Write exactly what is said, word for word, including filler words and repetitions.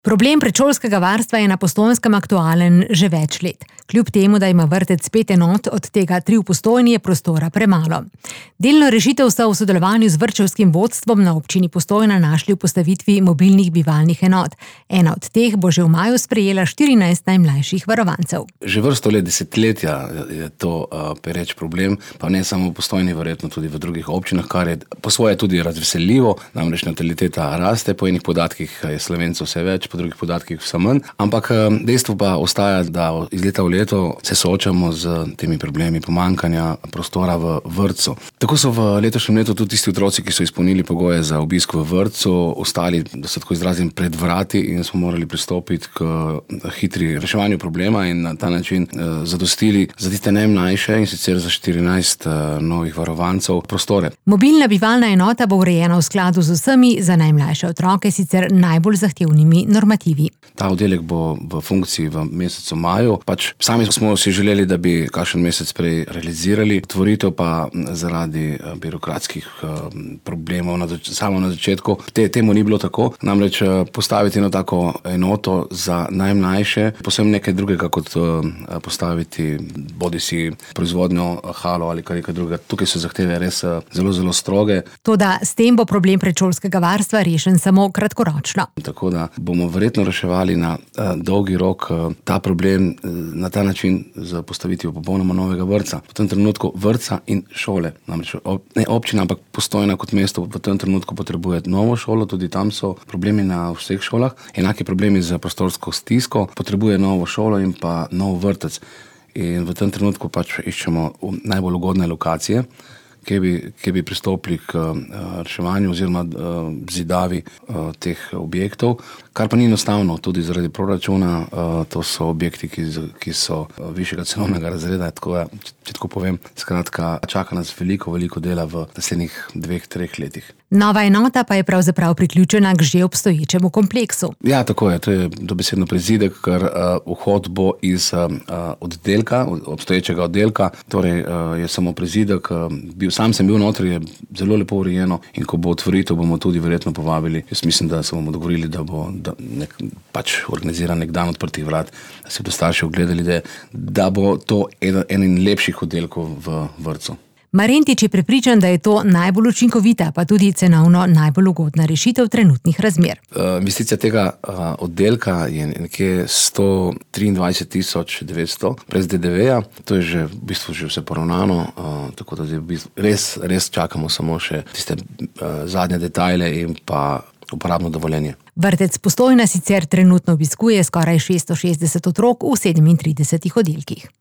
Problem predšolskega varstva je na Postojnskem aktualen že več let. Kljub temu, da ima vrtec pet enot, od tega tri v Postojni, je prostora premalo. Delno rešitev so v sodelovanju z vrtčevskim vodstvom na občini Postojna našli v postavitvi mobilnih bivalnih enot. Ena od teh bo že v maju sprejela štirinajst najmlajših varovancev. Že vrsto let, desetletja je to uh, pereč problem, pa ne samo v Postojni, verjetno tudi v drugih občinah, kar je po svoje tudi razveseljivo, namreč nataliteta raste, po enih podatkih je Slovencev vse več, po drugih podatkih vse manj, ampak dejstvo pa ostaja, da iz leta v leto se soočamo z temi problemi pomanjkanja prostora v vrtcu. Tako so v letošnjem letu tudi tisti otroci, ki so izpolnili pogoje za obisk v vrtcu, ostali, da se tako izrazim, pred vrati in smo morali pristopiti k hitri reševanju problema in na ta način eh, zadostili za tiste najmlajše in sicer za štirinajst eh, novih varovancev prostore. Mobilna bivalna enota bo urejena v skladu z vsemi za najmlajše otroke sicer najbolj zahtevnimi normativi. Ta oddelek bo v funkciji v mesecu maju. Pač sami smo si želeli, da bi kakšen mesec prej realizirali. Tvoritev pa zaradi birokratskih problemov na zač- samo na začetku te, temu ni bilo tako. Namreč postaviti eno tako enoto za najmlajše, posebno nekaj drugega kot postaviti bodisi proizvodnjo halo ali kar nekaj drugega. Tukaj so zahteve res zelo, zelo stroge. Toda s tem bo problem predšolskega varstva rešen samo kratkoročno. Tako da bomo verjetno reševali na uh, dolgi rok uh, ta problem uh, na ta način z postavitvijo popolnoma novega vrtca. V tem trenutku vrtca in šole. Namreč ob, ne občina, ampak Postojna kot mesto v tem trenutku potrebuje novo šolo, tudi tam so problemi na vseh šolah. Enaki problemi z prostorsko stisko, potrebuje novo šolo in pa nov vrtec. In v tem trenutku pač iščemo najbolj ugodne lokacije, kje bi, kje bi pristopili k uh, reševanju oziroma uh, zidavi uh, teh objektov, kar pa ni enostavno, tudi zaradi proračuna. Uh, to so objekti, ki, ki so uh, višjega cenovnega razreda, tako da, če, če tako povem, skratka, čaka nas veliko, veliko dela v naslednjih dveh, treh letih. Nova enota pa je pravzaprav priključena k že obstoječemu kompleksu. Ja, tako je, to je dobesedno prizidek, ker uh, vhod bo iz uh, oddelka, obstoječega oddelka, torej uh, je samo prizidek. Uh, bil, sam sem bil notri, je zelo lepo urejeno in ko bo otvoritev, bomo tudi verjetno povabili. Jaz mislim, da se bomo dogovorili, da bo da nek, pač organiziran nek dan odprtih vrat, da se bodo starši ogledali, da, da bo to eden, eden lepših oddelkov v vrtcu. Marentič je prepričan, da je to najbolj učinkovita, pa tudi cenovno najbolj ugodna rešitev trenutnih razmer. Uh, investicija tega uh, oddelka je nekje sto triindvajset tisoč devetsto brez D D V-ja. To je že v bistvu že vse poravnano, uh, tako da v bistvu res, res čakamo samo še tiste uh, zadnje detajle in pa uporabno dovoljenje. Vrtec Postojna sicer trenutno obiskuje skoraj šeststo šestdeset otrok v sedemintridesetih oddelkih.